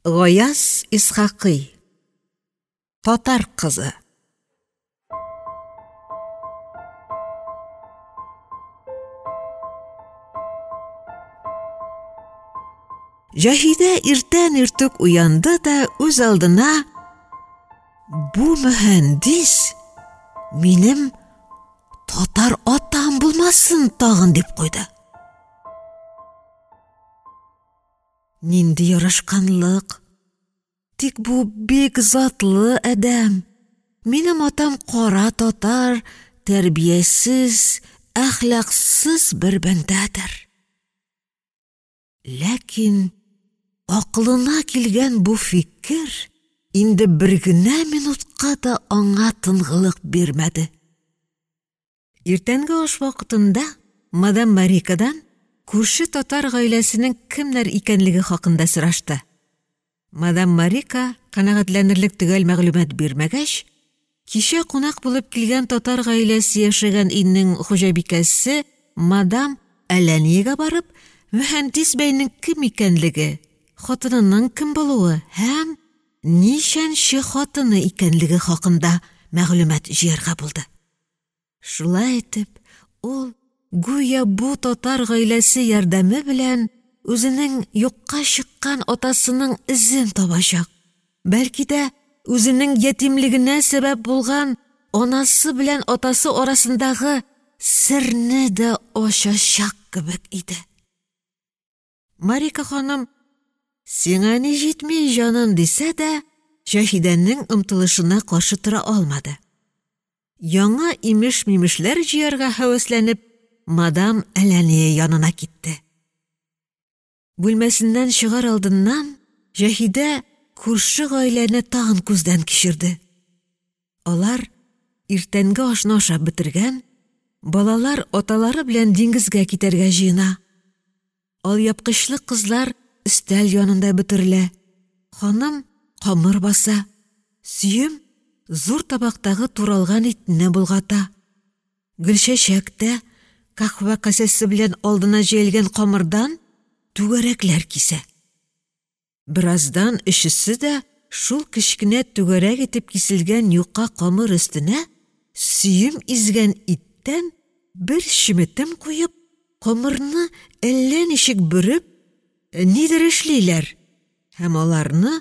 Гаяз Исхакый. Татар кызы. Җаһидә иртән иртүк уянды да үз алдына бу мөһәндис минем татар атам булмасын тагын дип куйды. Нинди ярашканлык! Тик бу бик затлы адәм. Минем атам кара татар, тәрбиясез, әхлаксыз бер бәндәдер. Ләкин акылына килгән бу фикер инде бер генә минутка да аңа тынгылык бирмәде. Иртәнге аш вакытында мадам Марикадан күрше татар гаиләсенең кемнәр икәнлеге хакында сорашты. Мадам Марика канәгатьләнерлек төгәл мәгълүмат бирмәгәч, кичә кунак булып килгән татар гаиләсе яшәгән өйнең хуҗабикәсе мадам Әләниягә барып, мөһәндис бәйнең кем икәнлеге, хатынының кем булуы һәм ничәнче хатыны икәнлеге хакында мәгълүмат җыярга булды. Шулай итеп, ул гүя бу татар гаиләсе ярдәме белән үзенең юкка чыккан атасының эзен табачак. Бәлки дә үзенең ятимлегенә сәбәп булган анасы белән атасы арасындагы серне дә ачачак кебек иде. Марика ханым, сиңа ни җитми, җаным, дисә дә, Җаһидәнең омтылышына каршы тора алмады. Яңа имеш-мимешләр җыярга һәвәсләнеп, мадам Әләния янына китте. Бүлмәсеннән чыгар алдыннан Җаһидә күрше гаиләне тагын күздән кичерде. Алар иртәнге ашны ашап бетергән, балалар аталары белән диңгезгә китәргә җыена. Алъяпкычлы кызлар өстәл янында бөтерелә. Ханым камыр баса. Сөем зур табактагы туралган итне болгата. Гөлчәчәк тә каһвә касәсе белән алдына җәелгән камырдан түгәрәкләр кисә. Бераздан өчесе дә шул кечкенә түгәрәк итеп киселгән юка камыр өстенә сөем изгән иттән бер чеметем куеп, камырны әллә ничек бөреп, нидер эшлиләр һәм аларны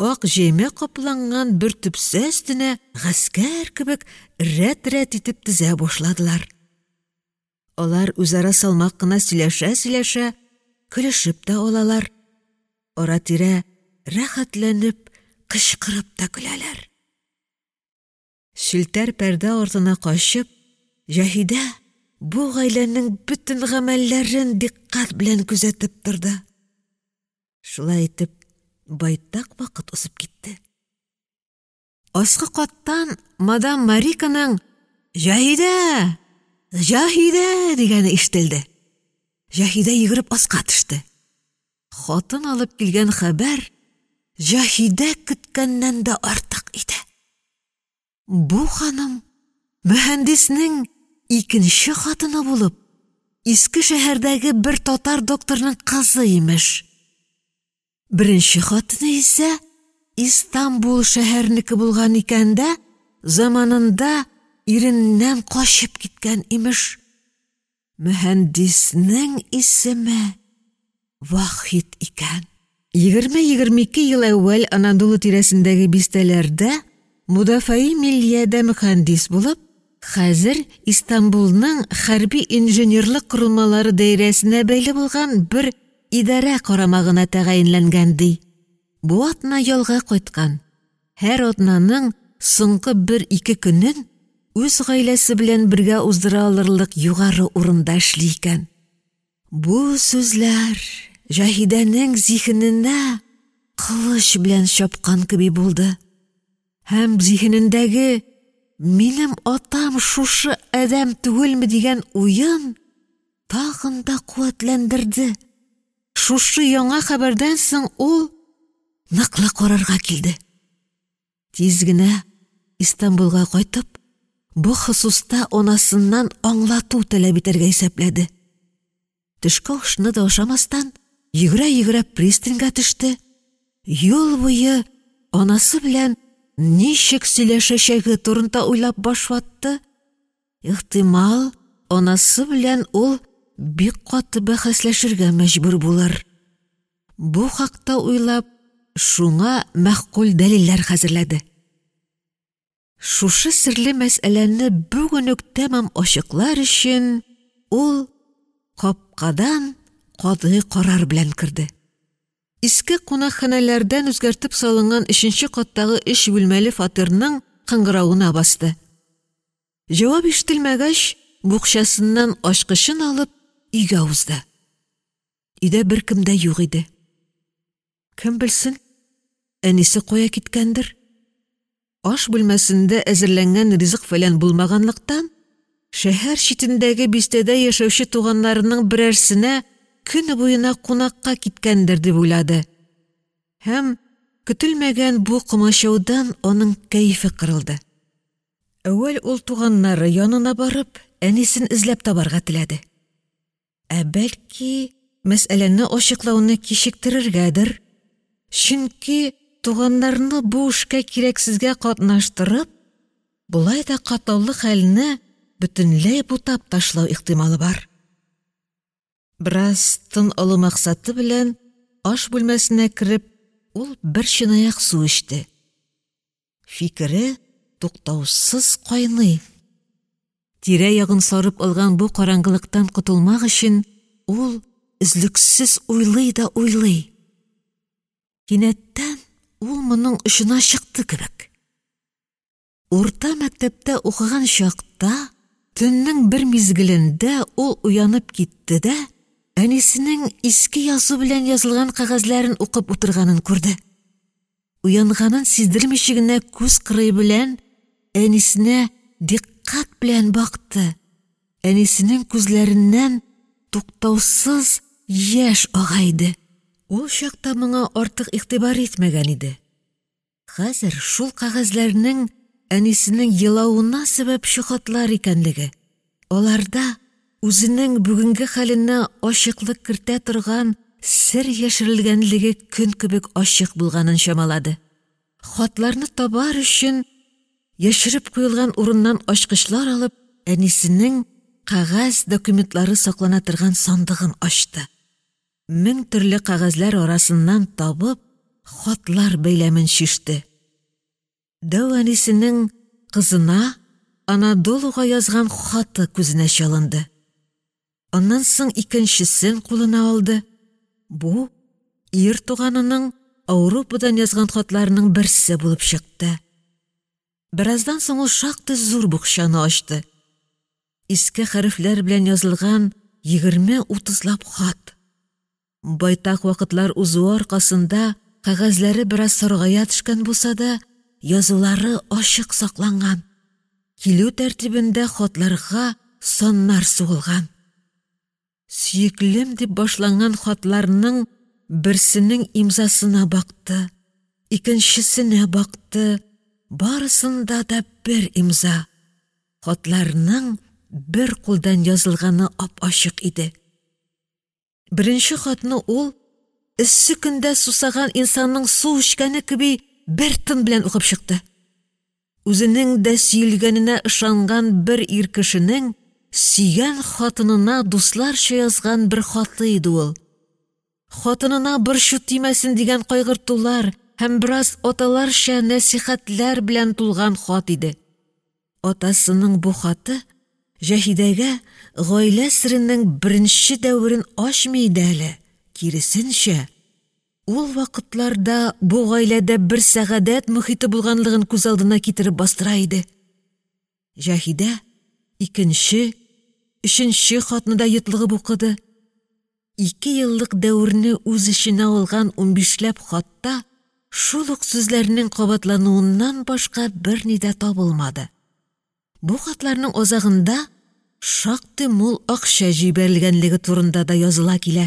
ак җәймә капланган бер төпсә өстенә гаскәр кебек рәт-рәт итеп тезә башладылар. Алар үзара салмак кына сөйләшә-сөйләшә көлешеп тә алалар. Ара-тирә рәхәтләнеп кычкырып та көләләр. Челтәр пәрдә артына качып, Җаһидә бу гаиләнең бөтен гамәлләрен дикъкать белән күзәтеп торды. Шулай итеп, байтак вакыт узып китте. Аскы каттан мадам Мариканың «Җаһидә! Җаһидә!» дигәне ишетелде. Җаһидә йөгереп аска төште. Хатын алып килгән хәбәр Җаһидә көткәннән дә артык иде. Бу ханым мөһәндиснең икенче хатыны булып, Иске шәһәрдәге бер татар докторның кызы имеш. Беренче хатыны исә Истанбул шәһәренеке булган икән дә, заманында иреннән качып киткән имеш. Мөһәндиснең исеме Вахит икән. 20-22 ел әүвәл Анадолу тирәсендәге бистәләрдә Мудафаи миллиядә мөхәндис булып, хәзер Истанбулның хәрби инженерлык корылмалары даирәсенә бәйле булган бер идарә карамагына тәгаенләнгән ди. Бу атна ялга кайткан. Һәр атнаның соңгы бер-ике көнен үз гаиләсе белән бергә уздыра алырлык югары урында эшли икән. Бу сүзләр Җаһидәнең зиһененә кылыч белән чапкан кеби булды. Һәм зиһенендәге минем атам шушы адәм түгелме дигән уен тагын да куәтләндерде. Шушы яңа хәбәрдән соң ул ныклы карарга килде. Тиз генә Истанбулга кайтып, бу хосуста анасыннан аңлату таләп итәргә исәпләде. Төшке ашны да ашамастан, йөгерә-йөгерә пристаньга төште. Юл буе анасы белән ничек сөйләшәчәге турында уйлап баш ватты. Ихтимал, анасы белән ул бик каты бәхәсләшергә мәҗбүр булыр. Бу хакта уйлап, шуңа мәгъкуль дәлилләр хәзерләде. Шушы серле мәсьәләне бүген үк тәмам ачыклар өчен ул капкадан катгый карар белән керде. Иске кунакханәләрдән үзгәртеп салынган өченче каттагы өч бүлмәле фатирның кыңгыравына басты. Җавап ишетелмәгәч, букчасыннан ачкычын алып, өйгә узды. Өйдә беркем дә юк иде. Кем белсен, әнисе кая киткәндер? Аш бүлмәсендә әзерләнгән ризык-фәлән булмаганлыктан, шәһәр читендәге бистәдә яшәүче туганнарының берәрсенә көне буена кунакка киткәндер дип уйлады. Һәм көтелмәгән бу комачаудан аның кәефе кырылды. Әүвәл ул туганнары янына барып, әнисен эзләп табарга теләде. Ә бәлки, мәсьәләне ачыклауны кичектерергәдер? Чөнки туганнарны бу эшкә кирәксезгә катнаштырып, болай да катлаулы хәлне бөтенләй бутап ташлау ихтималы бар. Бераз тын алу максаты белән аш бүлмәсенә кереп, ул бер чынаяк су эчте. Фикере туктаусыз кайный. Тирә-ягын сарып алган бу караңгылыктан котылмак өчен ул өзлексез уйлый да уйлый. Кинәттән ул моның очына чыкты кебек. Урта мәктәптә укыган чакта төннең бер мизгелендә ул уянып китте дә әнисенең иске язу белән язылган кәгазьләрен укып утырганын күрде. Уянганын сиздермичә генә күз кырые белән әнисенә дикъкать белән бакты. Әнисенең күзләреннән туктаусыз яшь ага иде. Ул чакта моңа артык игътибар итмәгән иде. Хәзер шул кәгазьләрнең әнисенең елавына сәбәпче хатлар икәнлеге, аларда үзенең бүгенге хәленә ачыклык кертә торган сер яшерелгәнлеге көн кебек ачык булганын чамалады. Хатларны табар өчен яшереп куелган урыннан ачкычлар алып, әнисенең кәгазь документлары саклана торган сандыгын ачты. Мең төрле кәгазьләр арасыннан табып, хатлар бәйләмен чиште. Дәү әнисенең кызына Анадолуга язган хаты күзенә чалынды. Аннан соң икенчесен кулына алды. Бу ир туганының Ауропадан язган хатларының берсе булып чыкты. Бераздан соң ул шактый зур букчаны ачты. Иске хәрефләр белән язылган 20-30лап хат. Байтак вакытлар узуы аркасында кәгазьләре бераз саргая төшкән булса да, язулары ачык сакланган. Килү тәртибендә хатларга саннар сугылган. Сөеклем дип башланган хатларның берсенең имзасына бакты, икенчесенә бакты, барысында да бер имза. Хатларның бер кулдан язылганы ап-ачык иде. Беренче хатны ул эссе көндә сусаган инсанның су эчкәне кеби бер тын белән укып чыкты. Үзенең дә сөелгәненә ышанган бер ир кешенең сөйгән хатынына дусларча язган бер хаты иде ул. Хатынына борчу тимәсен дигән кайгыртулар һәм бераз аталарча нәсихәтләр белән тулган хат иде. Атасының бу хаты Җәһидәгә гаилә серенең беренче дәверен ачмый иде әле, киресенчә, ул вакытларда бу гаиләдә бер сәгадәт мохите булганлыгын күз алдына китереп бастыра иде. Җаһидә икенче, өченче хатны да йотлыгып укыды. Ике еллык дәверне үз эченә алган унбишләп хатта шул ук сүзләрнең кабатлануыннан башка берни дә табылмады. Бу хатларның азагында шактый мул акча җибәрелгәнлеге турында да языла килә.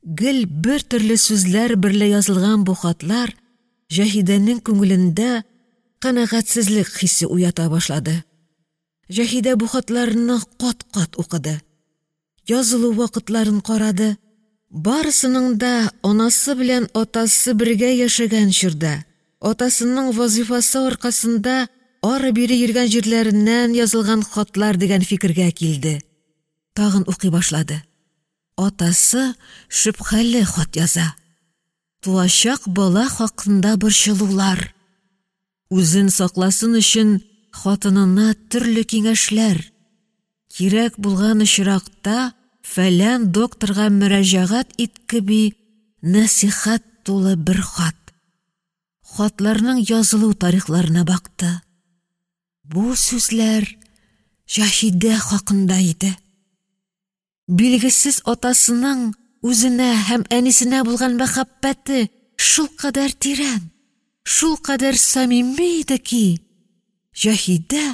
Гел бер төрле сүзләр берлә язылган бу хатлар Җаһидәнең күңелендә канәгатьсезлек хисе уята башлады. Җаһидә бу хатларны кат-кат укыды. Язылу вакытларын карады. Барысының да анасы белән атасы бергә яшәгән чорда, атасының вазифасы аркасында ары-бире йөргән җирләреннән язылган хатлар дигән фикергә килде. Тагын укый башлады. Атасы шөбһәле хат яза. Туачак бала хакында борчылулар. Үзен сакласын өчен хатынына төрле киңәшләр. Кирәк булган очракта фәлән докторга мөрәҗәгать ит кеби нәсыйхәт тулы бер хат. Хатларның язылу тарихларына бакты. Бу сүзләр Җаһидә хакында иде. Билгесез атасының үзенә һәм әнисенә булган мәхәббәте шулкадәр тирән, шулкадәр самими иде ки, Җаһидә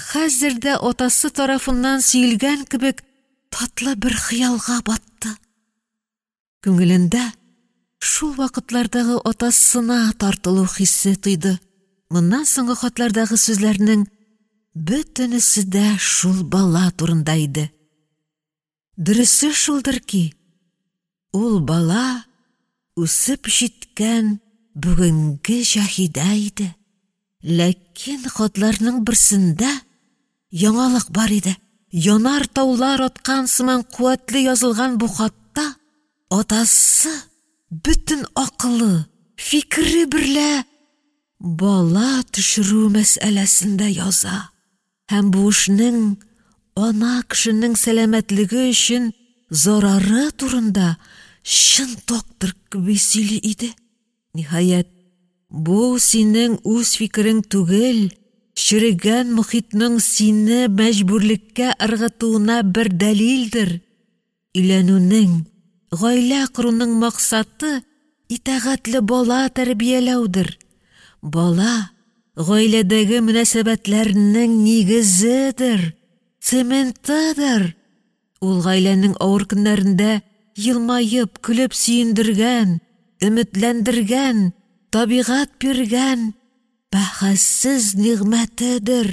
хәзер дә атасы тарафыннан сөелгән кебек татлы бер хыялга батты. Күңелендә шул вакытлардагы атасына тартылу хисе тойды. Моннан соңгы хатлардагы сүзләрнең бөтенесе дә шул бала турында иде. Дөресе шулдыр ки, ул бала үсеп җиткән бүгенге Җаһидә иде. Ләкин хатларның берсендә яңалык бар иде. Янар таулар аткан сыман куәтле язылган бу хатта атасы бөтен акылы, фикере берлә бала төшерү мәсьәләсен дә яза һәм бу эшнең ана кешенең сәламәтлеге өчен зарары турында чын доктор кеби сөйли иде. Ниһаять, бу синең үз фикерең түгел, черегән мохитның сине мәҗбүрлеккә ыргытуына бер дәлилдер. Өйләнүнең, гаилә коруның максаты итагатьле бала тәрбияләүдер. Бала гаиләдәге мөнәсәбәтләрнең нигезедер, цементыдыр. Ул гаиләнең авыр көннәрендә елмаеп, көлеп сөендергән, өметләндергән, табигать биргән бәһасез нигъмәтедер.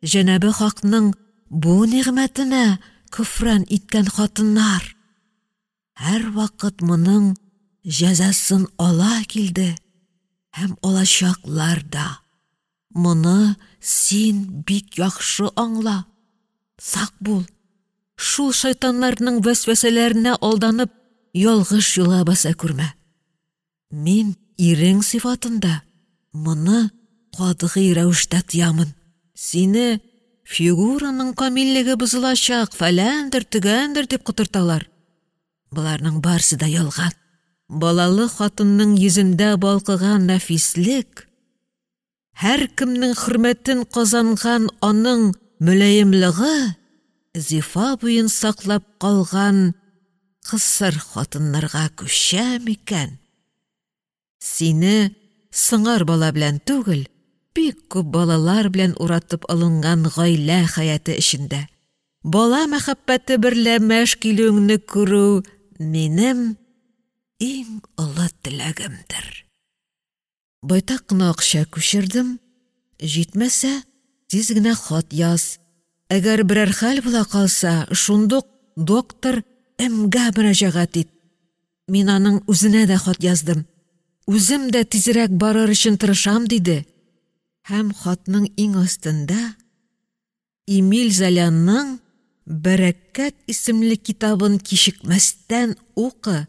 Җәнабе Хакның бу нигъмәтенә көфран иткән хатыннар һәрвакыт моның җәзасын ала килде һәм алачаклар да. Моны син бик яхшы аңла. Сак бул. Шул шайтаннарның вәсвәсәләренә алданып, ялгыш юлга баса күрмә. Мин ирең сыйфатында моны катгый рәвештә тыямын. Сине фигураның камиллеге бозылачак, фәләндер, төгәндер дип котырталар. Боларның барсы да ялган. Балалы хатынның йөзендә балкыган нәфислек, һәркемнең хөрмәтен казанган аның мөлаемлыгы зифа буен саклап калган кысыр хатыннарга күчә микән? Сине сыңар бала белән түгел, бик күп балалар белән уратып алынган гаилә хәяте эчендә бала мәхәббәте берлә мәш килүеңне күрү минем иң олы теләгемдер. Байтак кына акча күчердем, җитмәсә, тиз генә хат яз. Әгәр берәр хәл була калса, шундук доктор М-гә мөрәҗәгать ит. Мин аның үзенә дә хат яздым. Үзем дә тизрәк барыр өчен тырышам, диде. Һәм хатның иң астында Эмиль Золяның Бәрәкәт исемле китабын кичекмәстән укы,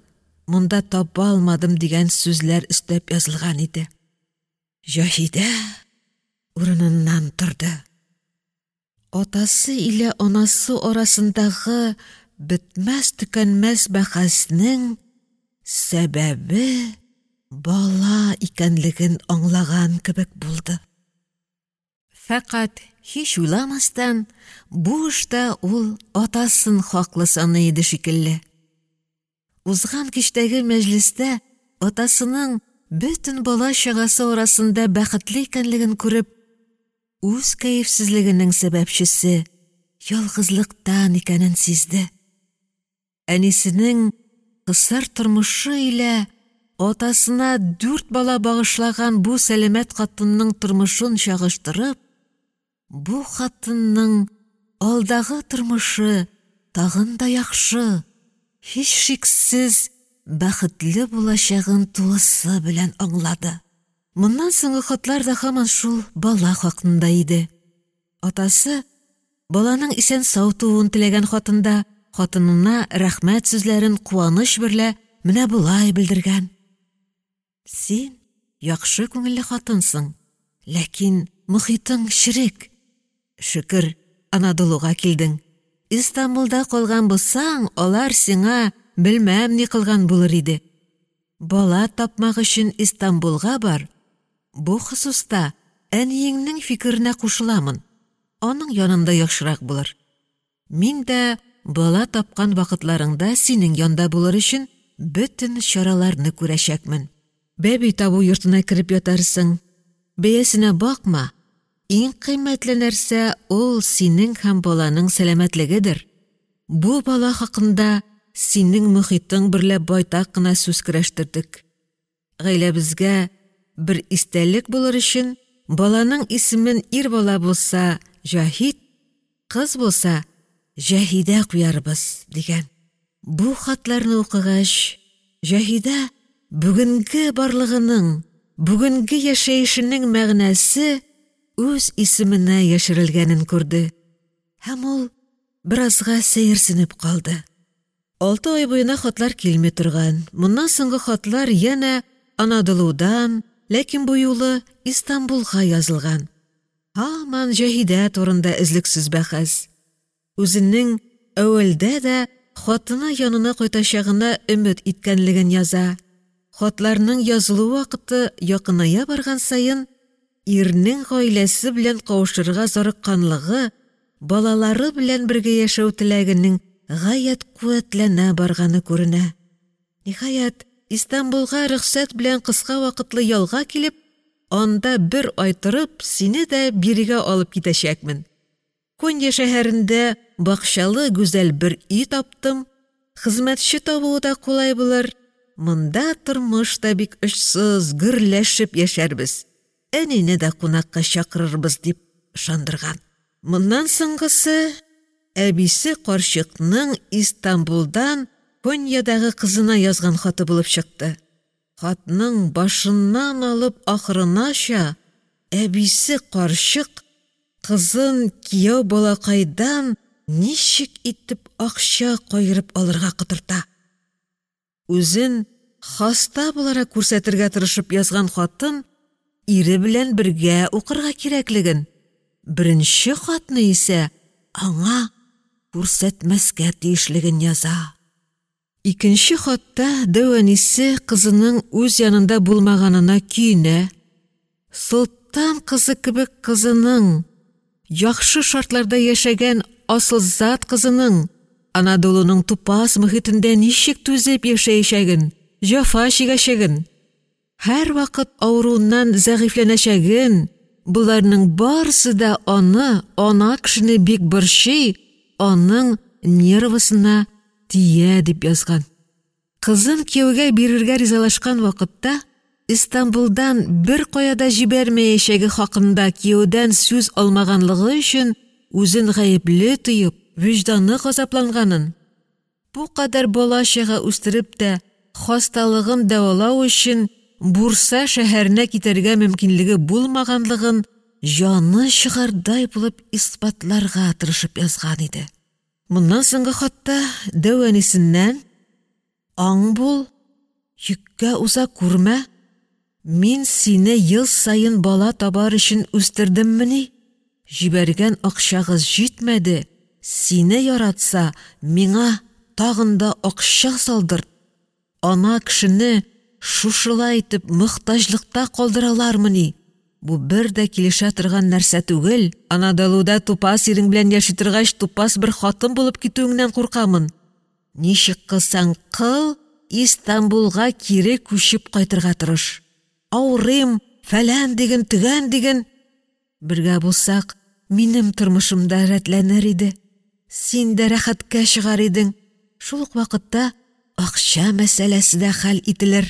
монда таба алмадым дигән сүзләр өстәп язылган иде. Җаһидә урыныннан торды. Атасы илә анасы арасындагы бетмәс-төкәнмәс бәхәснең сәбәбе бала икәнлеген аңлаган кебек булды. Фәкать һич уйламастан, бу эштә ул атасын хаклы саный иде шикелле. Узган кичтәге мәҗлестә атасының бөтен бала-чагасы арасында бәхетле икәнлеген күреп, үз кәефсезлегенең сәбәпчесе ялгызлыктан икәнен сизде. Әнисенең кысыр тормышы илә атасына 4 бала багышлаган бу сәламәт хатынның тормышын чагыштырып, бу хатынның алдагы тормышы тагын да яхшы, һичшиксез, бәхетле булачагын тулысы белән аңлады. Моннан соңгы хатлар да һаман шул бала хакында иде. Атасы баланың исән-сау тууын теләгән хатында хатынына рәхмәт сүзләрен куаныч берлә менә болай белдергән: «Син яхшы күңелле хатынсың, ләкин мохитың черек. Шөкер, Анадолуга килдең. Истанбулда калган булсаң, алар сиңа белмәм ни кылган булыр иде. Бала тапмак өчен Истанбулга бар. Бу хосуста әниеңнең фикеренә кушыламын. Аның янында яхшырак булыр. Мин дә бала тапкан вакытларыңда синең янда булыр өчен бөтен чараларны күрәчәкмен. Бәби табу йортына кереп ятарсың. Бәясенә бакма, иң кыйммәтле нәрсә ул синең һәм баланың сәламәтлегедер. Бу бала хакында синең мохитың берлә байтак кына сүз көрәштердек. Гаиләбезгә бер истәлек булыр өчен баланың исемен ир бала булса Җаһит, кыз булса Җаһидә куярбыз, дигән. Бу хатларны укыгач, Җаһидә бүгенге барлыгының, бүгенге яшәешенең мәгънәсе үз исеменә яшерелгәнен күрде һәм ул беразга сәерсенеп калды. 6 ай буена хатлар килми торган. Моннан соңгы хатлар янә Анадолудан, ләкин бу юлы Истанбулга язылган. Һаман Җаһидә турында өзлексез бәхәс. Үзенең әүвәлдә дә хатыны янына кайтачагына өмет иткәнлеген яза. Хатларның язылу вакыты якыная барган саен ирнең гаиләсе белән кавышырга зарыкканлыгы, балалары белән бергә яшәү теләгенең гаять куәтләнә барганы күренә. Ниһаять, Истанбулга рөхсәт белән кыска вакытлы ялга килеп, анда бер ай торып, сине дә бирегә алып китәчәкмен. Конья шәһәрендә бакчалы гүзәл бер өй таптым, хезмәтче табуы да кулай булыр. Монда тормыш та бик очсыз, гөрләшеп яшәрбез. Әнине дә кунакка чакырырбыз, дип ышандырган. Моннан соңгысы әбисе карчыкның Истанбулдан Коньядагы кызына язган хаты булып чыкты. Хатның башыннан алып ахырынача әбисе карчык кызын кияү балакайдан ничек итеп акча каерып алырга котырта. Үзен хаста буларак күрсәтергә тырышып язган хатын ире белән бергә укырга кирәклеген, беренче хатны исә аңа күрсәтмәскә тиешлеген яза. Икенче хатта дәү әнисе кызының үз янында булмаганына көенә, солтан кызы кебек кызының, яхшы шартларда яшәгән асылзат кызының Анадолуның тупас мөхитендә ничек түзеп яшәячәген, җәфа чигәчәген, һәрвакыт авыруыннан зәгыйфьләнәчәген, боларның барысы да аны, ана кешене бик борчый, аның нервысына тия дип язган. Кызын кияүгә бирергә ризалашкан вакытта Истанбулдан бер кая да җибәрмәячәге хакында кияүдән сүз алмаганлыгы өчен үзен гаепле тоеп, вөҗданы газапланганын, бу кадәр бала-чага үстереп тә хасталыгын дәвалау өчен Бурса шәһәренә китәргә мөмкинлеге булмаганлыгын җаны чыгардай булып исбатларга тырышып язган иде. Моннан соңгы хатта дәү әнисеннән: "Аң бул, йөккә уза күрмә, мин сине ел саен бала табар өчен үстердеммени? Җибәргән акчагыз җитмәде, сине яратса, миңа тагын да акча салдырт. Ана кешене шушылай итеп мохтаҗлыкта калдыралармыни? Бу бер дә килешә торган нәрсә түгел. Анадолуда тупас ирең белән яши торгач, тупас бер хатын булып китүеңнән куркамын. Ничек кылсаң кыл, Истанбулга кире күчеп кайтырга тырыш. Авырыйм, фәлән диген, төгән диген. Бергә булсак, минем тормышым да рәтләнер иде. Син дә рәхәткә чыгар идең. Шул ук вакытта акча мәсьәләсе дә хәл ителер.